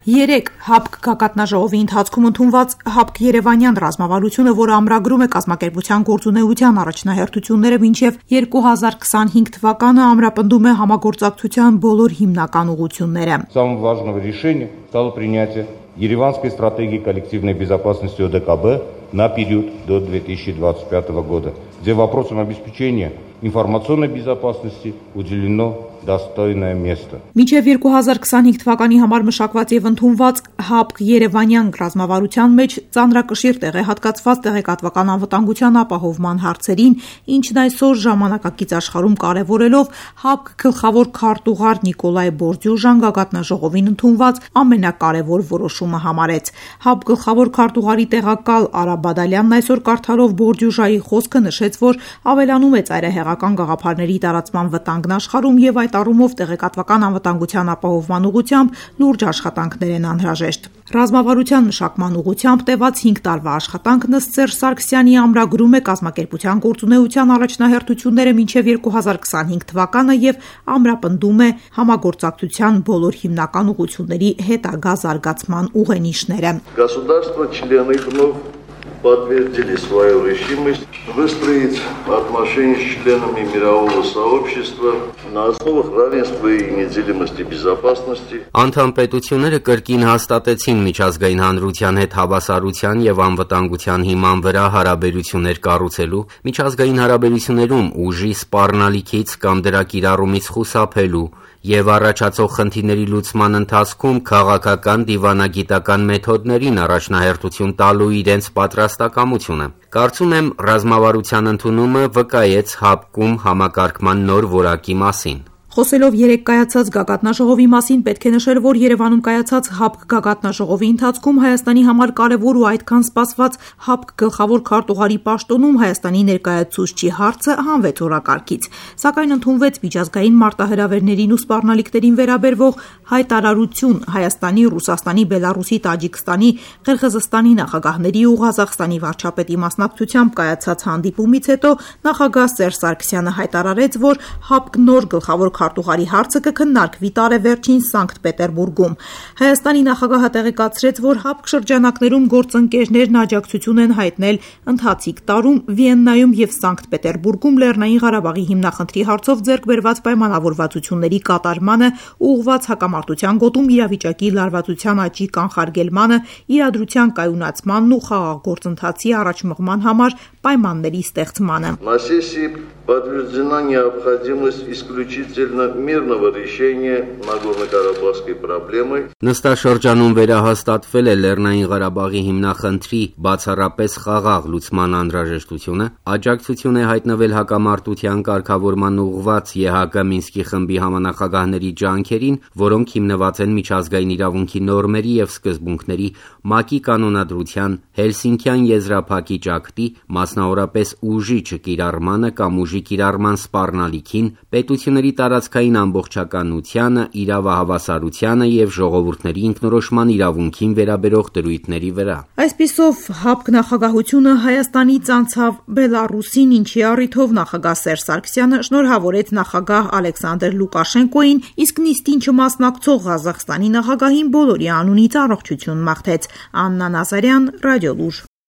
3 ՀԱՊԿ գագաթնաժողովի ընթացքում ընդունված ՀԱՊԿ Երևանյան ռազմավարությունը, որը ամրագրում է կազմակերպության գործունեության առաջնահերթությունները մինչև 2025 թվականը, ամրապնդում է համագործակցության բոլոր հիմնական ուղղությունները։ Самым важным решением стало принятие Ереванской стратегии коллективной безопасности ОДКБ на период до 2025 года, где вопросам обеспечения информационной безопасности уделено достойное место. Մինչև 2025 թվականի համար մշակված եւ ընդունված ՀԱՊԿ Երևանյան ռազմավարության մեջ ծանրակշիռ տեղ է հատկացված տեղեկատվական անվտանգության ապահովման հարցերին, ինչն այսօր ժամանակակից աշխարհում կարևորելով ՀԱՊԿ գլխավոր քարտուղար Նիկոլայ Բորդյուժան գագաթնաժողովին ընդունված ամենակարևոր որոշումը համարեց։ ՀԱՊԿ գլխավոր քարտուղարի տեղակալ Արա Բադալյանն այսօր կարդալով Բորդյուժայի խոսքը նշեց, որ ավելանում է ծայրահեղական գաղափարների տարածման վտանգն աշխարհում եւ այդ առումով տեղեկատվական անվտանգության ապահովման ուղղությամբ լուրջ աշխատանքներ են անհրաժեշտ։ Ռազմավարության մշակման ուղղությամբ տևած 5 տարվա աշխատանքն ըստ Սերժ Սարգսյանի ամրագրում է կազմակերպության գործունեության առաջնահերթությունները մինչև 2025 թվականը եւ ամրապնդում է համագործակցության բոլոր հիմնական ուղղությունների հետագա զարգացման ուղենիշները։ Подтвердили свою решимость выстроить отношения с членами мирового сообщества на основах равенства и неделимости безопасности. Անդամ պետությունները կրկին հաստատեցին միջազգային հանրության հետ հավասարության եւ անվտանգության հիման վրա հարաբերություններ կառուցելու, միջազգային հարաբերություններում ուժի սպառնալիքից կամ դրա կիրառումից խուսափելու եւ առաջացող խնդիրների լուծման ընթացքում քաղաքական դիվանագիտական մեթոդներին առաջնահերթություն տալու իրենց պատրաստակամությունը։ Կարծում եմ, ռազմավարության ընդունումը վկայեց ՀԱՊԿ-ում համակարգման նոր որակի մասին։ Խոսելով 3 կայացած գագաթնաժողովի մասին պետք է նշել, որ Երևանում կայացած ՀԱՊԿ գագաթնաժողովի ընթացքում Հայաստանի համար կարևոր ու այդքան սպասված ՀԱՊԿ գլխավոր քարտուղարի պաշտոնում Հայաստանի ներկայացուցչի հարցը հանվեց օրակարգից, սակայն ընդունվեց միջազգային մարտահրավերներին ու սպառնալիքներին վերաբերվող հայտարարություն Հայաստանի, Ռուսաստանի, Բելառուսի, Տաջիկստանի, Ղրղըզստանի նախագահների ու Ղազախստանի վարչապետի մասնակցությամբ կայացած հանդիպումից հետո նախագահ Սերժ Սարգսյանը հայտարարեց, որ ՀԱՊԿ նոր գլխավոր քարտուղարի հարցը կքննարկվի տարեվերջին Սանկտ Պետերբուրգում։ Հայաստանի նախագահը տեղեկացրեց, որ ՀԱՊԿ շրջանակներում գործընկերներն աջակցություն են հայտնել ընթացիկ տարում Վիեննայում եւ Սանկտ Պետերբուրգում Լեռնային Ղարաբաղի հիմնախնդրի հարցով ձեռք բերված պայմանավորվածությունների կատարմանը, ուղղված հակամարտության գոտում իրավիճակի լարվածության աճի կանխարգելմանը, իրադրության կայունացմանն ու խաղաղ գործընթացի առաջմղման համար պայմանների ստեղծմանը։ На сессии подтверждена необходимость исключительно мирного решения Нагорно-Карабахской проблемы. Նստաշրջանում վերահաստատվել է Լեռնային Ղարաբաղի հիմնախնդրի բացառապես խաղաղ լուծման անհրաժեշտությունը, աջակցություն է հայտնվել հակամարտության կարգավորման ուղղված ԵՀԿ Մինսկի խմբի համանախագահների ջանքերին, որոնք հիմնված են միջազգային իրավունքի նորմերի եւ սկզբունքների, ՄԱԿ-ի կանոնադրության, Հելսինքյան եզրափակիչ ակտի, մասնավորապես ուժի չկիրառմանը կամ ուժի կիրառման սպառնալիքին, պետությունների տարածքային ամբողջականությանը, իրավահավասարությանը եւ ժողովուրդների ինքնորոշման իրավունքին վերաբերող դրույթների վրա։ Այսպիսով ՀԱՊԿ նախագահությունը Հայաստանից անցավ Բելառուսին, ինչի առիթով նախագահ Սերժ Սարգսյանը շնորհավորեց նախագահ Ալեքսանդր Լուկաշենկոին, իսկ նիստին չմասնակցող Ղազախստանի նախագահին բոլորի անունից առողջություն մաղթեց։ Աննա Նազարյան, Ռադիոլուր։